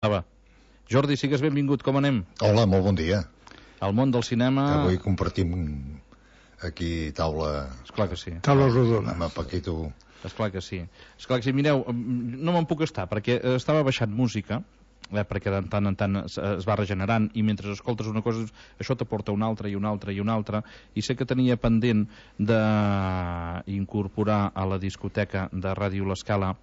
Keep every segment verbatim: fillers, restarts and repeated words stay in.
Va. Jordi, sigues benvingut, com anem? Hola, molt bon dia. Al món del cinema... Avui compartim aquí taula... Esclar que sí. Taula rodona. Amb el Paquito. Esclar que sí. Esclar que sí. Mireu, no me'n puc estar, perquè estava baixant música, eh, perquè de tant en tant es, es va regenerant, i mentre escoltes una cosa, això t'aporta una altra i una altra i una altra, i sé que tenia pendent d'incorporar a la discoteca de Ràdio L'Escala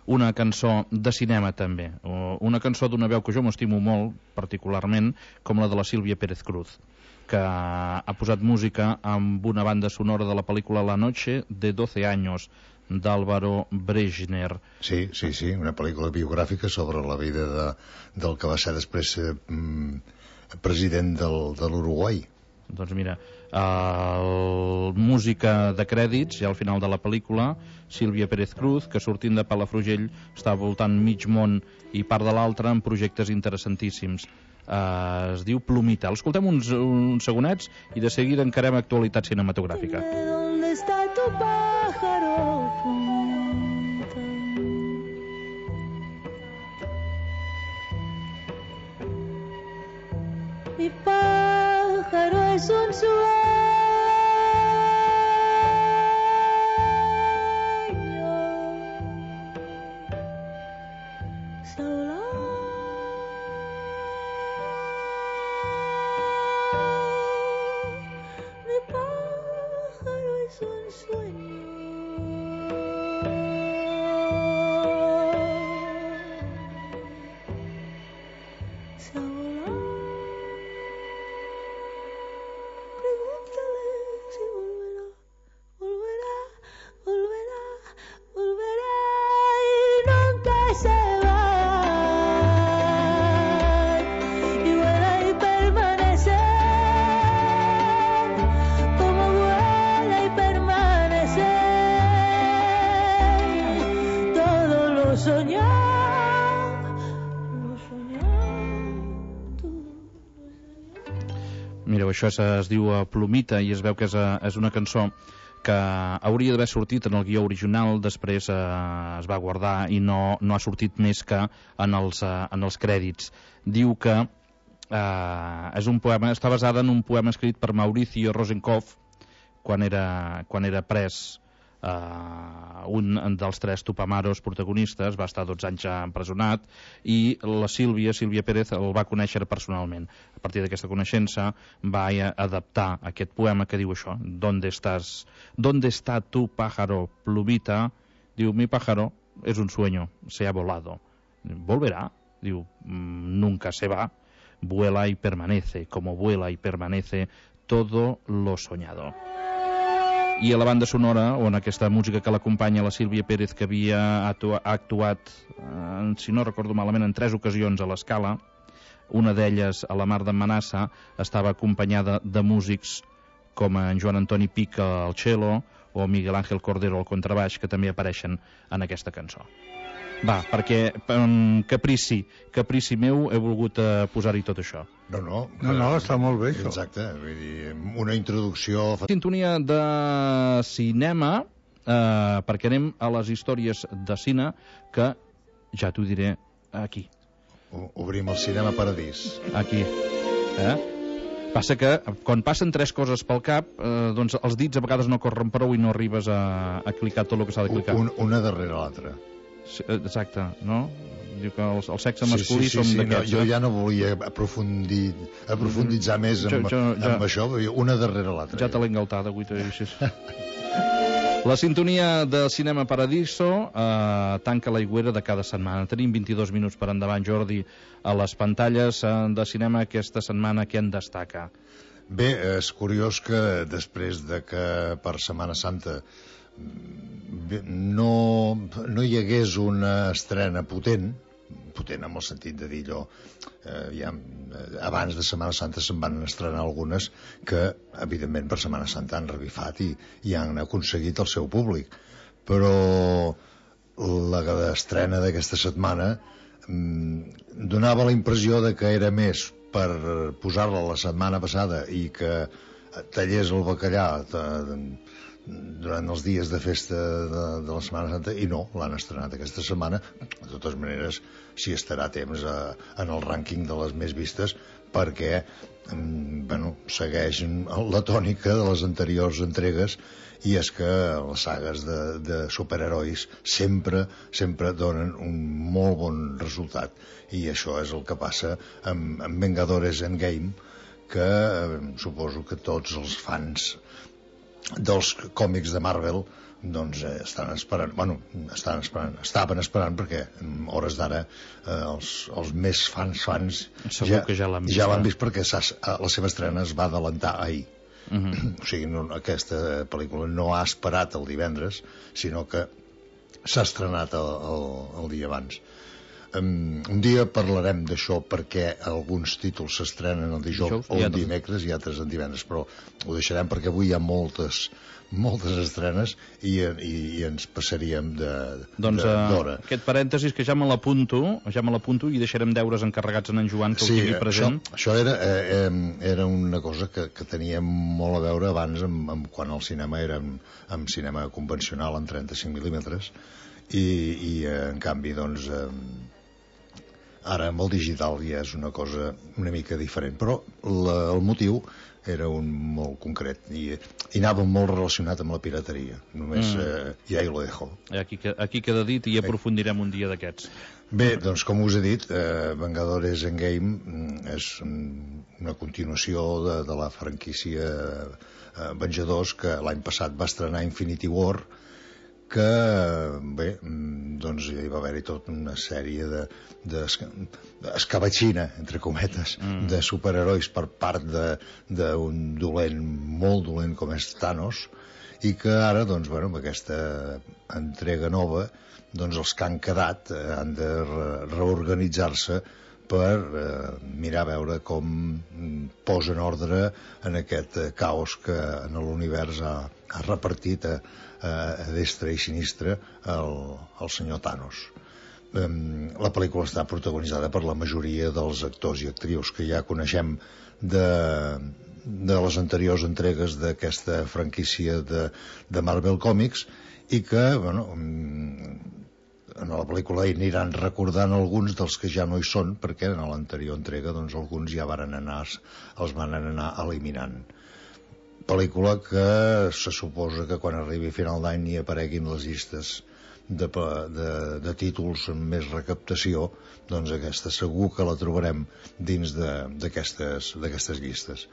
una cançó de cinema també, una cançó d'una veu que jo m'estimo molt particularment, com la de la Sílvia Pérez Cruz, que ha posat música amb una banda sonora de la pel·lícula La noche de doce años d'Álvaro Brejner. Sí, sí, sí, una pel·lícula biogràfica sobre la vida de, del que va ser després eh, president del, de l'Uruguai. Doncs mira, el... música de crèdits i al final de la pel·lícula, Sílvia Pérez Cruz, que sortint de Palafrugell està voltant mig món i part de l'altre en projectes interessantíssims. Uh, es diu Plumita. L'escoltem uns, uns segonets i de seguida encarem actualitat cinematogràfica. ¿Dónde está tu pájaro, Plumita? Mi pájaro es un sueño solo. Mi pájaro es un sueño solo. Pregúntale si volverá, volverá, volverá, volverá y nunca se va. Y vuela y permanece, como vuela y permanece. Todo lo soñado, lo soñado, todo lo soñado. Mireu, això es, es diu Plumita i es veu que és, és una cançó que hauria d'haver sortit en el guió original, després eh, es va guardar i no, no ha sortit més que en els, eh, en els crèdits. Diu que eh, és un poema, està basada en un poema escrit per Mauricio Rosenkopf quan era, quan era pres. Uh, un dels tres Tupamaros protagonistes va estar dotze anys empresonat i la Sílvia, Sílvia Pérez, el va conèixer personalment. A partir d'aquesta coneixença va adaptar aquest poema que diu això: ¿Dónde estás? ¿Dónde está tu pájaro, Plumita? Diu, mi pájaro es un sueño, se ha volado. ¿Volverá? Diu, nunca se va, vuela y permanece, como vuela y permanece todo lo soñado. I a la banda sonora, on aquesta música que l'acompanya la Sílvia Pérez, que havia actua, actuat, eh, si no recordo malament, en tres ocasions a l'Escala, una d'elles a la Mar d'en Manassa, estava acompanyada de músics com en Joan Antoni Pic al cello o Miguel Ángel Cordero al contrabaix, que també apareixen en aquesta cançó. Va, perquè um, caprici, caprici meu, he volgut uh, posar-hi tot això. No, no. No, no, està molt bé, això. Exacte, vull dir, una introducció... Sintonia de cinema, eh, perquè anem a les històries de cine, que ja t'ho diré aquí. Obrim el cinema paradís. Aquí. Eh? Passa que, quan passen tres coses pel cap, eh, doncs els dits a vegades no corren prou i no arribes a, a clicar tot el que s'ha de clicar. Un, una darrere l'altra. Sí, exacte, no? Diu que el, el sexe masculí sí, sí, som sí, d'aquests. No, jo ja no volia aprofundir, aprofunditzar més amb, jo, jo, amb això, una darrere l'altra. Ja te l'he engaltat, avui t'ho he La sintonia de Cinema Paradiso eh, tanca l'aigüera de cada setmana. Tenim vint-i-dos minuts per endavant, Jordi, a les pantalles eh, de cinema aquesta setmana. Què en destaca? Bé, és curiós que després de que per Setmana Santa no, no hi hagués una estrena potent, potent en el sentit de dir allò, eh, ja, abans de Setmana Santa se'n van estrenar algunes que evidentment per Setmana Santa han revifat i, i han aconseguit el seu públic, però la estrena d'aquesta setmana mm, donava la impressió de que era més per posar-la la setmana passada i que tallés el bacallà durant els dies de festa de, de la Setmana Santa, i no, l'han estrenat aquesta setmana. De totes maneres, s'hi estarà temps a, en el rànquing de les més vistes, perquè bueno, segueix la tònica de les anteriors entregues, i és que les sagues de, de superherois sempre, sempre donen un molt bon resultat, i això és el que passa amb, amb Vengadores Endgame, que eh, suposo que tots els fans dels còmics de Marvel doncs eh, estan esperant, bueno, estan esperant, estaven esperant, perquè a hores d'ara eh, els, els més fans fans segur ja, que ja l'han vist, ja l'han vist perquè la seva estrena es va adelantar ahir. Uh-huh. O sigui, no, aquesta pel·lícula no ha esperat el divendres, sinó que s'ha estrenat el, el, el dia abans. Um, un dia parlarem d'això, perquè alguns títols s'estrenen el dijous, dijous o el dimecres i altres en divendres, però ho deixarem perquè avui hi ha moltes moltes estrenes i, i, i ens passaríem de, doncs, de, d'hora. Uh, aquest parèntesis que ja me l'apunto, ja me l'apunto i deixarem deures encarregats en en Joan que sí, ho tingui present. Això, això era, eh, era una cosa que, que tenia molt a veure abans amb, amb quan el cinema era amb, amb cinema convencional en trenta-cinc mil·límetres i, i eh, en canvi doncs eh, ara amb el digital ja és una cosa una mica diferent, però la, el motiu era un molt concret i, i anava molt relacionat amb la pirateria. Només mm. eh, ja hi lo dejo. Aquí, aquí queda dit i aprofundirem un dia d'aquests. Bé, doncs com us he dit, eh, Vengadores Endgame és una continuació de, de la franquícia eh, Venjadors, que l'any passat va estrenar Infinity War, que bé, doncs hi va haver-hi tota una sèrie de, de escabatxina, entre cometes, mm. de superherois per part d'un dolent molt dolent com és Thanos, i que ara, doncs, bueno, amb aquesta entrega nova, doncs els que han quedat eh, han de re reorganitzar-se per eh, mirar a veure com posen ordre en aquest eh, caos que en l'univers ha, ha repartit a, a destre i sinistre el, el senyor Thanos. Eh, la pel·lícula està protagonitzada per la majoria dels actors i actrius que ja coneixem de, de les anteriors entregues d'aquesta franquícia de, de Marvel Comics, i que, bueno, en la pel·lícula hi aniran recordant alguns dels que ja no hi són, perquè en l'anterior entrega doncs, alguns ja varen anar, els van anar eliminant. Pel·lícula que se suposa que quan arribi a final d'any hi apareguin les llistes de, de, de títols amb més recaptació, doncs aquesta segur que la trobarem dins d'aquestes d'aquestes llistes.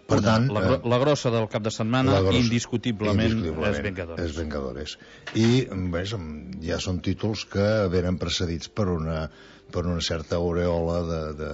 Per tant, la, la, la grossa del cap de setmana grossa, indiscutiblement, indiscutiblement és Vengadores. És Vengadores. I ves, ja són títols que venen precedits per una, per una certa aureola de, de,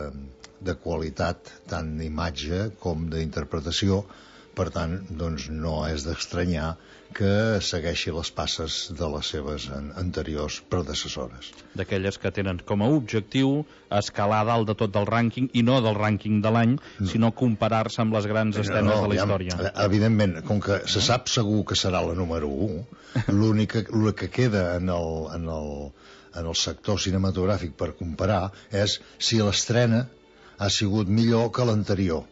de qualitat, tant d'imatge com d'interpretació. Per tant, doncs, no és d'estranyar que segueixi les passes de les seves anteriors predecessores. D'aquelles que tenen com a objectiu escalar dalt de tot del rànquing, i no del rànquing de l'any, no. sinó comparar-se amb les grans escenes no, no, de la història. Ja, evidentment, com que se sap segur que serà la número u, l'únic que queda en el, en, el, en el sector cinematogràfic per comparar és si l'estrena ha sigut millor que l'anterior,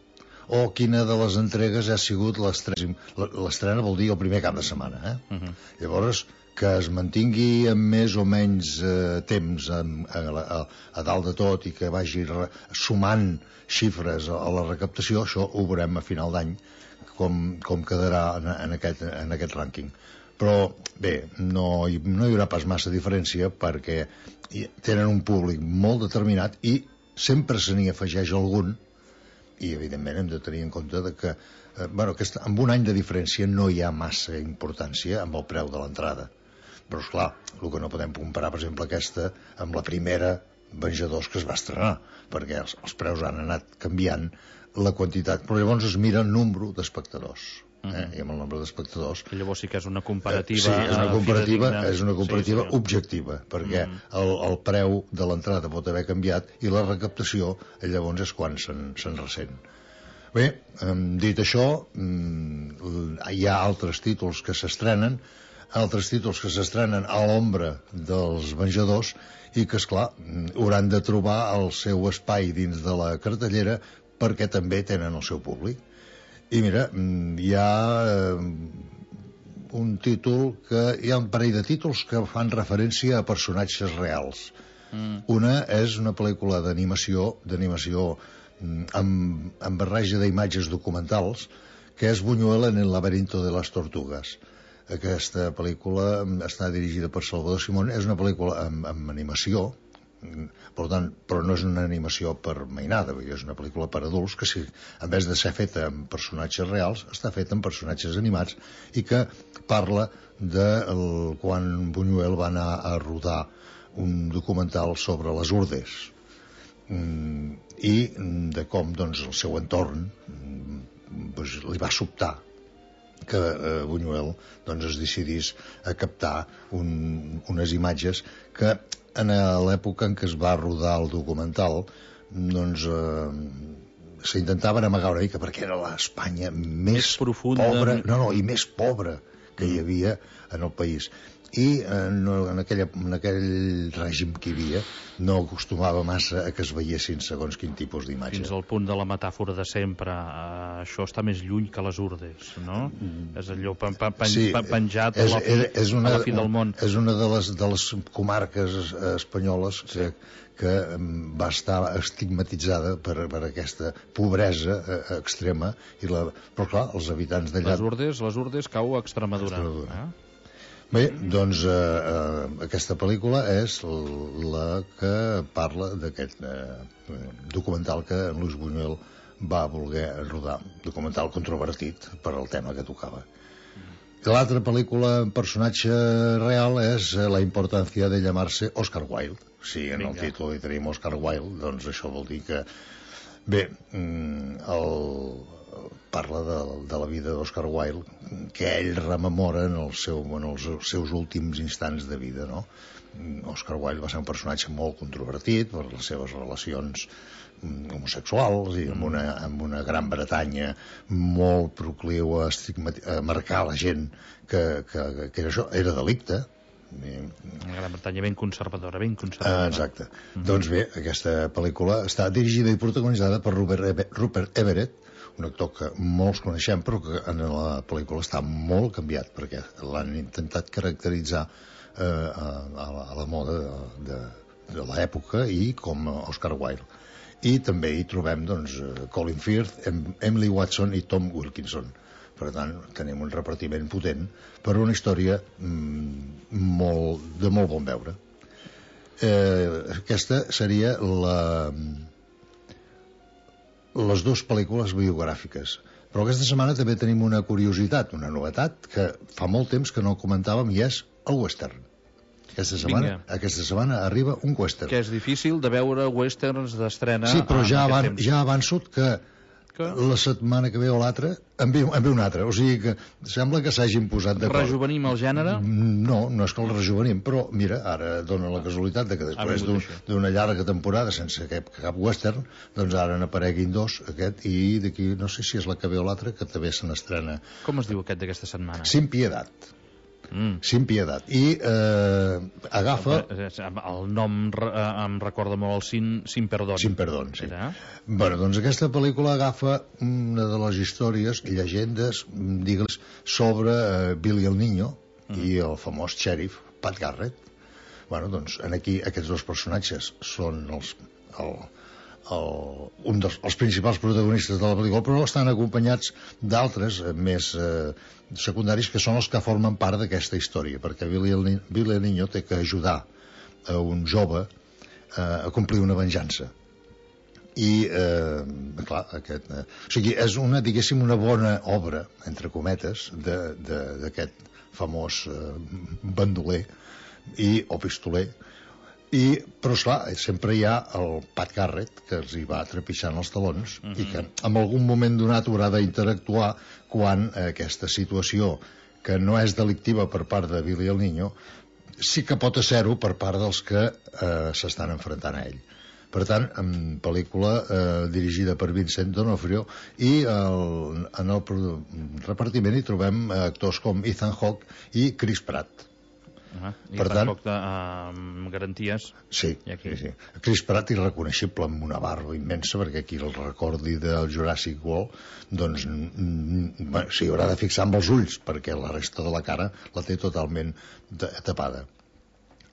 o quina de les entregues ha sigut l'estrena. L'estrena vol dir el primer cap de setmana, eh? Uh -huh. Llavors, que es mantingui amb més o menys eh, temps a, a, a, a dalt de tot i que vagi re, sumant xifres a, a la recaptació, això ho veurem a final d'any, com, com quedarà en, en, aquest, en aquest rànquing. Però, bé, no hi, no hi haurà pas massa diferència, perquè tenen un públic molt determinat i sempre se n'hi afegeix algun, i evidentment hem de tenir en compte de que, eh, bueno, que amb un any de diferència no hi ha massa importància amb el preu de l'entrada. Però, esclar, el que no podem comparar, per exemple, aquesta amb la primera Venjadors que es va estrenar, perquè els, els preus han anat canviant la quantitat, però llavors es mira el nombre d'espectadors. Eh? Uh-huh. I amb el nombre d'espectadors, que llavors sí que és una comparativa, eh, sí, és una comparativa, és una comparativa sí, sí. objectiva, perquè uh-huh. el, el preu de l'entrada pot haver canviat i la recaptació llavors és quan se'n se ressent. Bé, dit això, hi ha altres títols que s'estrenen, altres títols que s'estrenen a l'ombra dels Venjadors i que, esclar, hauran de trobar el seu espai dins de la cartellera perquè també tenen el seu públic. I mira, hi ha un títol que hi ha un parell de títols que fan referència a personatges reals. Mm. Una és una pel·lícula d'animació, d'animació amb, amb barreja d'imatges documentals, que és Buñuel en el laberinto de las tortugas. Aquesta pel·lícula està dirigida per Salvador Simón, és una pel·lícula amb, amb animació, per tant, però no és una animació per mainada, és una pel·lícula per adults que, si, en vez de ser feta amb personatges reals, està feta amb personatges animats i que parla de el, quan Buñuel va anar a rodar un documental sobre les Urdes i de com doncs, el seu entorn doncs, li va sobtar que eh, Buñuel doncs, es decidís a captar un, unes imatges que en l'època en què es va rodar el documental doncs eh, s'intentaven amagar una mica perquè era l'Espanya més, més profunda, pobra no, no, i més pobra que hi havia en el país i eh, no, en, aquella, en aquell règim que hi havia no acostumava massa a que es veiessin segons quin tipus d'imatge. Fins al punt de la metàfora de sempre, eh, això està més lluny que les Urdes, no? Mm. És allò pen, pen, pen, sí, penjat és, a, la fi, és una, a la fi del món. És una de les, de les comarques espanyoles que, sí. que va estar estigmatitzada per, per aquesta pobresa eh, extrema i la, però clar, els habitants d'allà... Les Urdes, les Urdes cau a Extremadura. Extremadura. Eh? Bé, doncs eh, eh, aquesta pel·lícula és la que parla d'aquest eh, documental que en Luis Buñuel va voler rodar, documental controvertit per al tema que tocava. L'altra pel·lícula en personatge real és La importància de llamarse Oscar Wilde. Si en el títol hi tenim Oscar Wilde, doncs això vol dir que... Bé, el... parla de, de la vida d'Oscar Wilde que ell rememora en, el seu, en els seus últims instants de vida, no? Oscar Wilde va ser un personatge molt controvertit per les seves relacions homosexuals i amb una, amb una Gran Bretanya molt procliu a, a marcar la gent que, que, que era, això, era delicte. Una Gran Bretanya ben conservadora, ben conservadora. Ah, exacte. Mm-hmm. Doncs bé, aquesta pel·lícula està dirigida i protagonitzada per Rupert, Rupert Everett, un actor que molts coneixem però que en la pel·lícula està molt canviat perquè l'han intentat caracteritzar eh, a, a la moda de, de, de l'època i com Oscar Wilde. I també hi trobem doncs, Colin Firth, Emily Watson i Tom Wilkinson. Per tant, tenim un repartiment potent per una història mm, molt, de molt bon veure. Eh, aquesta seria la... les dues pel·lícules biogràfiques. Però aquesta setmana també tenim una curiositat, una novetat, que fa molt temps que no comentàvem, i és el western. Aquesta setmana, aquesta setmana arriba un western. Que és difícil de veure westerns d'estrena. Sí, però ja, avan, ja avanço que que la setmana que ve o l'altra en ve, en ve una altra, o sigui que sembla que s'hagin posat d'acord. Rejuvenim el gènere? No, no és que el rejuvenim, però mira, ara dona la casualitat de que després d'una un, llarga temporada sense cap, cap western, doncs ara n'apareguin dos, aquest, i d'aquí no sé si és la que ve o l'altra, que també se n'estrena. Com es diu aquest d'aquesta setmana? Sin Piedat. Mm. Sin Piedat. I eh, agafa... El nom eh, em recorda molt el Sin, Sin Perdón. Sin Perdón, sí. Era? Bueno, doncs aquesta pel·lícula agafa una de les històries, llegendes, digues, sobre eh, Billy el Niño mm. i el famós xèrif Pat Garrett. Bueno, doncs en aquí aquests dos personatges són els... El, El, un dels els principals protagonistes de la pel·lícula, però estan acompanyats d'altres eh, més eh, secundaris que són els que formen part d'aquesta història, perquè Billy el, Billy el Niño té que ajudar a un jove eh, a complir una venjança i eh, clar, aquest, eh, o sigui, és una, diguéssim, una bona obra, entre cometes, d'aquest famós eh, bandoler i, o pistoler. I, però esclar, sempre hi ha el Pat Garrett que els hi va trepitjant els talons uh-huh. i que en algun moment donat haurà d'interactuar quan aquesta situació que no és delictiva per part de Billy el Niño sí que pot ser-ho per part dels que eh, s'estan enfrontant a ell. Per tant, en pel·lícula eh, dirigida per Vincent D'Onofrio i el, en el repartiment hi trobem actors com Ethan Hawke i Chris Pratt. Ah, I per per tant, poc de uh, garanties. Sí, sí, sí. Chris Pratt irreconeixible amb una barba immensa, perquè qui el recordi del Jurassic World, doncs mm, s'hi haurà de fixar amb els ulls, perquè la resta de la cara la té totalment tapada.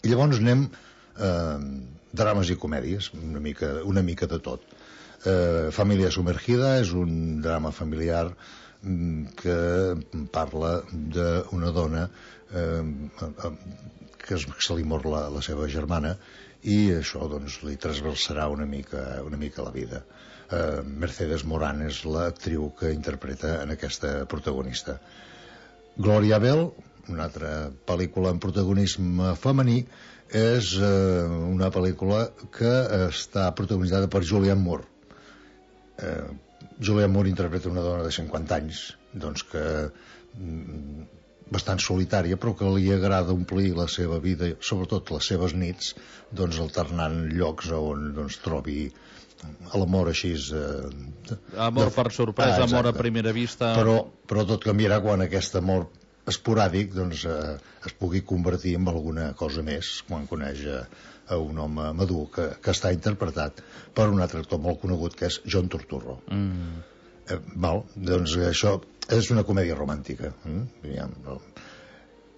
I llavors anem eh, drames i comèdies, una mica, una mica de tot. Eh, Família Sumergida és un drama familiar que parla d'una dona eh, que se li mor la, la seva germana, i això doncs li transversarà una mica, una mica la vida. eh, Mercedes Morán és l'actriu que interpreta en aquesta protagonista. Gloria Bell, una altra pel·lícula amb protagonisme femení, és eh, una pel·lícula que està protagonitzada per Julianne Moore. eh, Julianne Moore interpreta una dona de cinquanta anys, doncs que mm, bastant solitària, però que li agrada omplir la seva vida, sobretot les seves nits, doncs alternant llocs on doncs, trobi l'amor així eh, amor de... per sorpresa, ah, amor a primera vista. Però, però tot canviarà quan aquest amor esporàdic doncs, eh, es pugui convertir en alguna cosa més quan coneix a, a un home madur que, que està interpretat per un altre actor molt conegut, que és John Turturro. Mm. eh, val, doncs això és una comèdia romàntica, eh?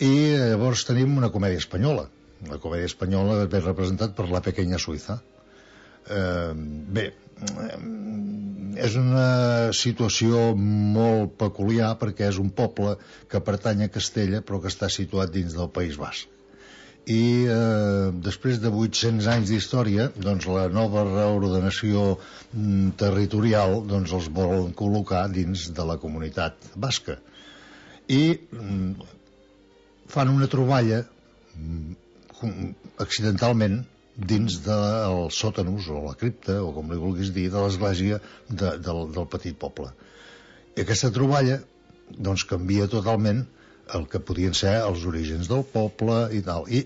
I llavors tenim una comèdia espanyola. La comèdia espanyola ve representat per La Pequeña Suïssa. eh, bé és una situació molt peculiar, perquè és un poble que pertany a Castella però que està situat dins del País Basc, i eh, després de vuit-cents anys d'història, doncs la nova reordenació mm, territorial doncs els volen col·locar dins de la comunitat basca, i mm, fan una troballa mm, accidentalment dins dels sòtanos o la cripta, o com li vulguis dir, de l'església de, del, del petit poble. I aquesta troballa doncs canvia totalment el que podien ser els orígens del poble i tal, i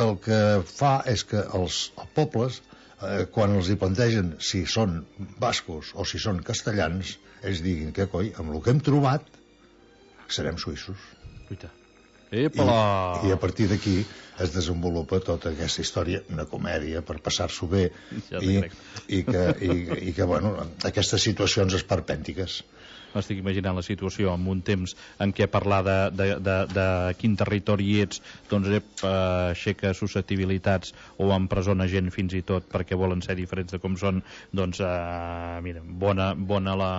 el que fa és que els, els pobles eh, quan els hi plantegen si són bascos o si són castellans, ells diguin que coi, amb el que hem trobat serem suïssos. Lluita. I, i a partir d'aquí es desenvolupa tota aquesta història, una comèdia per passar-s'ho bé, ja i, i, que, i, i que bueno, aquestes situacions esperpèntiques. M'estic imaginant la situació en un temps en què parlar de, de, de, de quin territori ets doncs ep, aixeca susceptibilitats o empresona gent fins i tot perquè volen ser diferents de com són, doncs eh, mira, bona, bona la,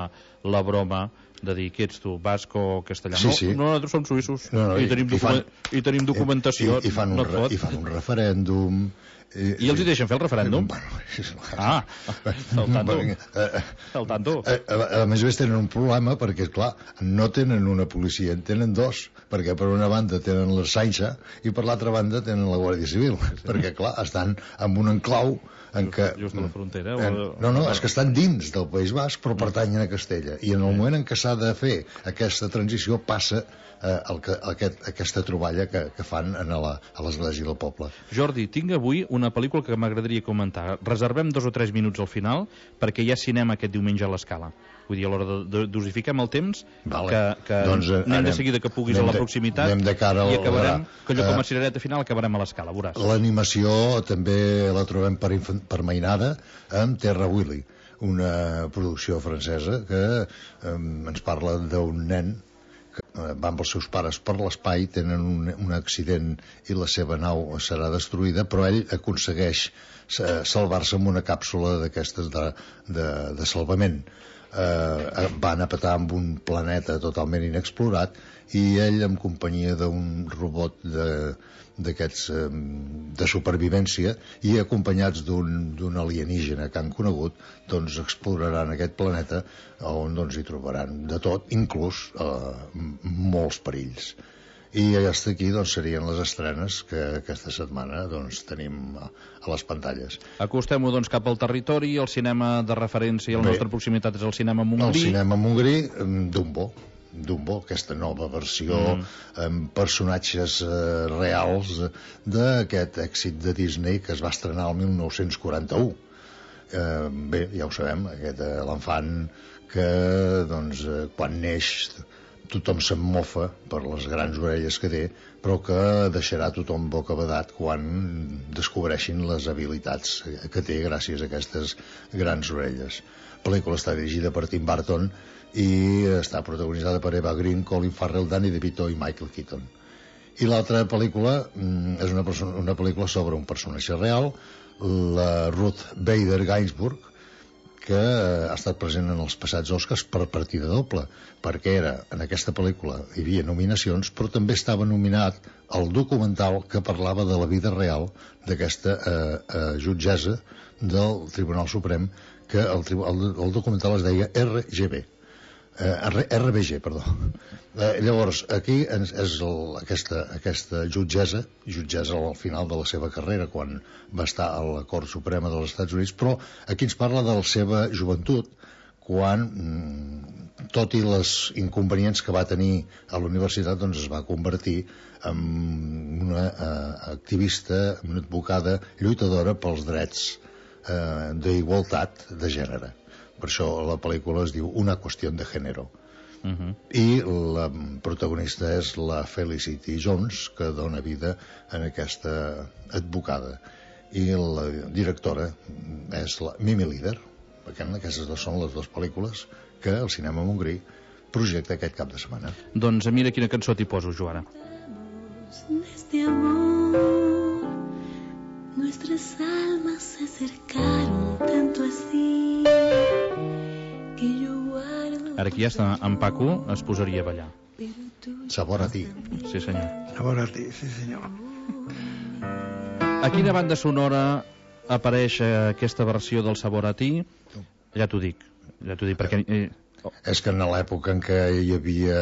la broma de dir que ets tu, basc o castellà. Sí, sí. No, nosaltres som suïssos no, no, i, tenim i, fan, i tenim documentació. I, i, fan no un, I fan un referèndum. I, I els hi deixen fer el referèndum? Bueno, ah, al tanto. Al tanto. A, a, a més a més tenen un problema perquè, clar, no tenen una policia, en tenen dos, perquè per una banda tenen la Sainxa i per l'altra banda tenen la Guàrdia Civil, sí. Perquè, clar, estan en un enclau en just, què... Just a la frontera? En, no, no, és que estan dins del País Basc, però pertanyen a Castella. I en el moment en què s'ha de fer aquesta transició passa eh, el que, aquest, aquesta troballa que, que fan a l'església del poble. Jordi, tinc avui una pel·lícula que m'agradaria comentar. Reservem dos o tres minuts al final perquè hi ha cinema aquest diumenge a l'Escala. Vull dir, a l'hora de, de dosifiquem el temps, vale. que, que doncs, eh, anem, anem de seguida que puguis a la proximitat de, de cara i acabarem, a, que allò com a eh, cirereta final acabarem a l'Escala, veuràs. L'animació també la trobem per, per mainada amb Terra Willy, una producció francesa que eh, ens parla d'un nen que eh, va amb els seus pares per l'espai, tenen un, un accident i la seva nau serà destruïda, però ell aconsegueix salvar-se amb una càpsula d'aquestes de, de, de salvament. Eh, van a petar amb un planeta totalment inexplorat i ell, en companyia d'un robot de d'aquests eh, de supervivència i acompanyats d'un alienígena que han conegut, doncs exploraran aquest planeta on doncs hi trobaran de tot, inclús eh, molts perills. I hasta aquí doncs serien les estrenes que aquesta setmana doncs tenim a, a les pantalles. Acostem-ho doncs cap al territori, el cinema de referència a la nostra proximitat és el cinema Montgrí. El cinema Montgrí, Dumbo. Dumbo, aquesta nova versió mm. amb personatges eh, reals d'aquest èxit de Disney que es va estrenar el mil nou-cents quaranta-u. Eh, bé, ja ho sabem, aquest eh, l'enfant que doncs, eh, quan neix tothom se'n mofa per les grans orelles que té, però que deixarà tothom bocabadat quan descobreixin les habilitats que té gràcies a aquestes grans orelles. La pel·lícula està dirigida per Tim Burton i està protagonitzada per Eva Green, Colin Farrell, Danny DeVito i Michael Keaton. I l'altra pel·lícula és una, una pel·lícula sobre un personatge real, la Ruth Bader Ginsburg, que ha estat present en els passats Oscars per partida doble, perquè era, en aquesta pel·lícula hi havia nominacions, però també estava nominat el documental que parlava de la vida real d'aquesta eh, eh, jutgessa del Tribunal Suprem, que el, el, el documental es deia R G B. Eh, R B G, perdó. Eh, llavors, aquí és el, aquesta, aquesta jutgessa, jutgessa al final de la seva carrera, quan va estar a la Cort Suprema dels Estats Units, però aquí ens parla de la seva joventut, quan, tot i les inconvenients que va tenir a la universitat, doncs es va convertir en una eh, activista, una advocada lluitadora pels drets eh, d'igualtat de gènere. Per això la pel·lícula es diu Una qüestió de gènere. Uh-huh. I la protagonista és la Felicity Jones, que dona vida en aquesta advocada. I la directora és la Mimi Lieder. Aquestes dos són les dues pel·lícules que el Cinema Montgrí projecta aquest cap de setmana. Doncs mira quina cançó t'hi poso, Joana. Este amor, nuestras almas se acercaron tanto así que yo guardo. Ara aquí ja està en Paco, es posaria a ballar. Sabor a ti. Sí, senyor. Sabor a ti, sí, senyor. A quina banda sonora apareix aquesta versió del Sabor a ti? Ja t'ho dic, ja t'ho dic, perquè... Eh, oh. És que en l'època en què hi havia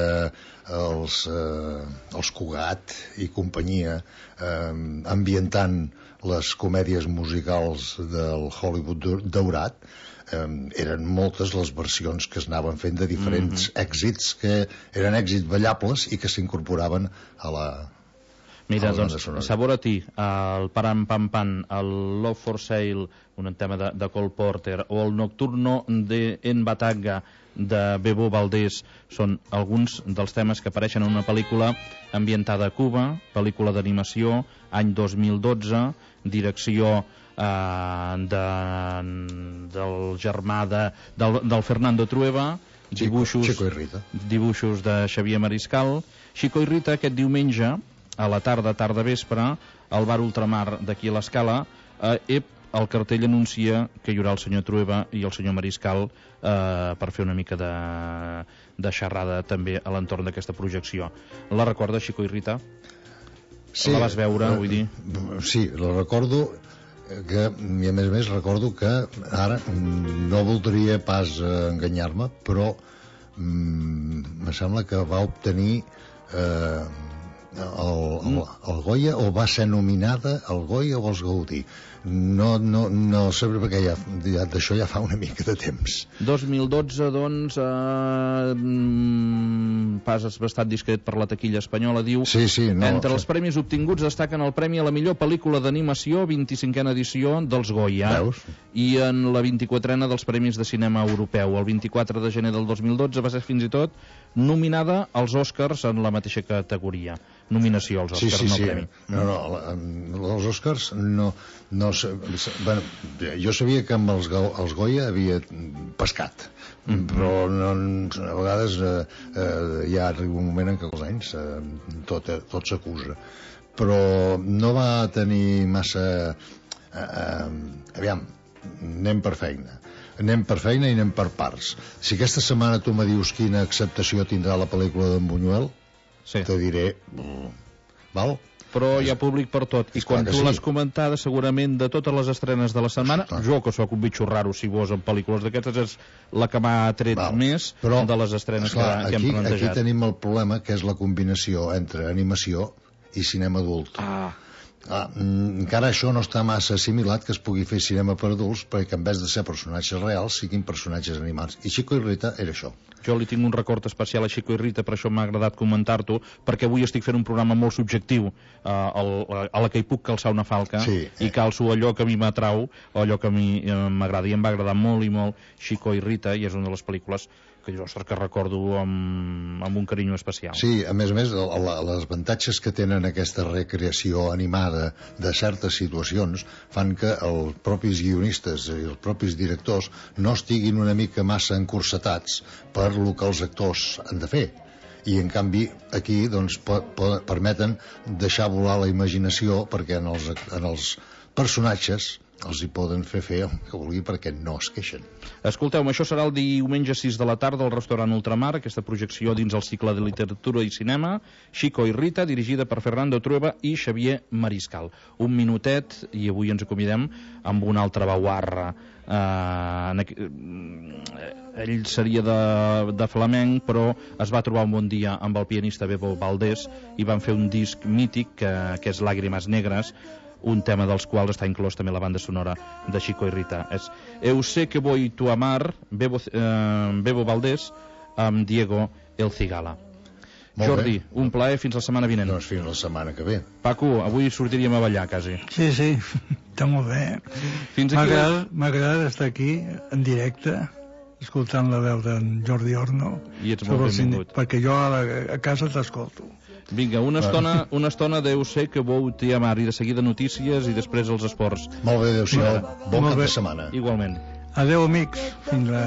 els, eh, els Cugat i companyia eh, ambientant les comèdies musicals del Hollywood daurat, eh, eren moltes les versions que es anaven fent de diferents mm-hmm. èxits que eren èxits ballables i que s'incorporaven a la... Mira, doncs, Sabor a ti, el Param Pam Pam, el Love for Sale, un tema de, de Cole Porter, o el Nocturno de En Batagga, de Bebo Valdés, són alguns dels temes que apareixen en una pel·lícula ambientada a Cuba, pel·lícula d'animació, any dos mil dotze, direcció eh, de, del germà de, del, del Fernando Trueba, dibuixos, Chico, Chico i Rita. dibuixos de Xavier Mariscal. Chico i Rita aquest diumenge, a la tarda, tarda vespre, al bar Ultramar d'aquí a l'Escala, eh, el cartell anuncia que hi haurà el senyor Trueba i el senyor Mariscal eh, per fer una mica de, de xerrada també a l'entorn d'aquesta projecció. La recorda, Chico i Rita? Sí, la vas veure, vull dir? Sí, la recordo, que, i a més a més recordo que ara no voldria pas enganyar-me, però mm, me sembla que va obtenir eh, el, el, el Goya, o va ser nominada al Goya o als Gaudí. No, no, no sé, perquè ja, ja, d'això ja fa una mica de temps. dos mil dotze, doncs, eh, pas bastant discret per la taquilla espanyola, diu. Sí, sí, no, entre els premis obtinguts destaquen el premi a la millor pel·lícula d'animació, vint-i-cinquena edició dels Goya. Veus? I en la vint-i-quatrena dels Premis de Cinema Europeu. El vint-i-quatre de gener del dos mil dotze va ser fins i tot nominada als Oscars en la mateixa categoria. Nominació als Oscars, sí, sí, no sí. premi. No, no, els Oscars no... no bueno, jo sabia que amb els, els Goya havia pescat, mm-hmm. però no, a vegades eh, eh, ja arriba un moment en què els anys eh, tot, tot s'acusa, però no va tenir massa eh, eh, aviam, anem per feina anem per feina i anem per parts. Si aquesta setmana tu me dius quina acceptació tindrà la pel·lícula d'en Buñuel, sí. te diré val? Però hi ha públic per tot, i quan tu sí. l'has comentada segurament de totes les estrenes de la setmana, sí, jo que sóc un bitxo raro si vos en pel·lícules d'aquestes, és la que m'ha tret val. més però, de les estrenes clar, que, que aquí, hem plantejat. Aquí tenim el problema que és la combinació entre animació i cinema adult. Ah. Ah, encara això no està massa assimilat que es pugui fer cinema per adults, perquè en vez de ser personatges reals siguin personatges animats, i Chico i Rita era això. Jo li tinc un record especial a Chico i Rita, per això m'ha agradat comentar-t'ho, perquè avui estic fent un programa molt subjectiu, eh, el, a la que hi puc calçar una falca, sí, eh. i calço allò que a mi m'atrau, o allò que a mi eh, m'agrada, i em va agradar molt i molt Chico i Rita, i és una de les pel·lícules que dius, ostres, que recordo amb, amb un carinyo especial. Sí, a més a més, el, el, les avantatges que tenen aquesta recreació animada de certes situacions fan que els propis guionistes i els propis directors no estiguin una mica massa encursetats per lo que els actors han de fer. I en canvi aquí doncs, po, po, permeten deixar volar la imaginació, perquè en els, en els personatges els hi poden fer fer el que vulgui perquè no es queixen. Escolteu-me, això serà el diumenge sis de la tarda al restaurant Ultramar, aquesta projecció dins el cicle de literatura i cinema, Chico i Rita, dirigida per Fernando Trueba i Xavier Mariscal. Un minutet, i avui ens acomidem amb una altra baguarra. Uh, ell seria de, de flamenc, però es va trobar un bon dia amb el pianista Bebo Valdés i van fer un disc mític que, que és Lágrimas Negras, un tema dels quals està inclòs també la banda sonora de Chico i Rita. És Eu sé que voy tu amar, Bebo, eh, Bebo Valdés amb Diego El Cigala. Molt Jordi, bé. un plaer, fins la setmana vinent. Doncs fins la setmana que ve. Paco, avui sortiríem a ballar, quasi. Sí, sí, està molt bé. Fins aquí la... M'agrada estar aquí, en directe, escoltant la veu d'en Jordi Orno. I ets molt benvingut. Perquè jo a, la, a casa t'escolto. Vinga, una estona, una estona de Eu sé que vou te amar, i de seguida notícies i després els esports. Molt bé, adéu-siau. Bon Molt cap bé. de setmana. Igualment. Adéu, amics. Fins la...